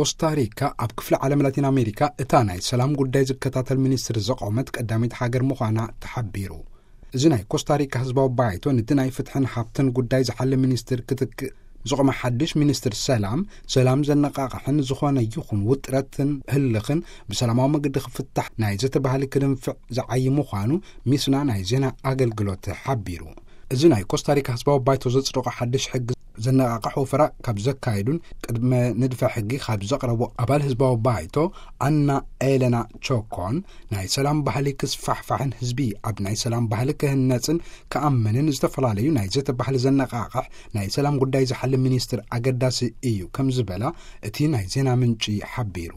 ኮስታሪካ ኣብ ክፍለ ዓለም ላቲን ኣሜሪካ እታ ናይ ሰላም ጉዳይ ዝከታተል ሚኒስትር ዘቆመት ቀዳመይቲ ሃገር ምዃና ተሓቢሩ። እዚ ናይ ኮስታሪካ ህዝባዊ ባይቶ ነቲ ናይ ፍትሕን ሃብትን ጉዳይ ዝሓለ ሚኒስትር ክትክእ ዝቆመ ሓድሽ ሚኒስትር ሰላም፣ ሰላም ዘነቃቕሕን ዝኾነ ይኹን ውጥረትን ህልኽን ብሰላማዊ መገዲ ክፍታሕ ናይ ዘተባህሊ ክድንፍዕ ዝዓይ ምዃኑ ሚስና ናይ ዜና ኣገልግሎት ሓቢሩ። እዚ ናይ ኮስታሪካ ህዝባዊ ባይቶ ዘጽደቆ ሓድሽ ሕጊ ዘነቃቕሕ ወፈራ ካብ ዘካየዱን ቅድመ ንድፈ ሕጊ ካብ ዘቕረቡ ኣባል ህዝባዊ ባይቶ ኣና ኤለና ቾኮን፣ ናይ ሰላም ባህሊ ክስፋሕፋሕን ህዝቢ ኣብ ናይ ሰላም ባህሊ ክህነጽን ክኣምንን፣ ዝተፈላለዩ ናይ ዘተ ባህሊ ዘነቃቕሕ ናይ ሰላም ጉዳይ ዝሓሊ ሚኒስትር ኣገዳሲ እዩ ከም ዝበላ እቲ ናይ ዜና ምንጪ ሓቢሩ።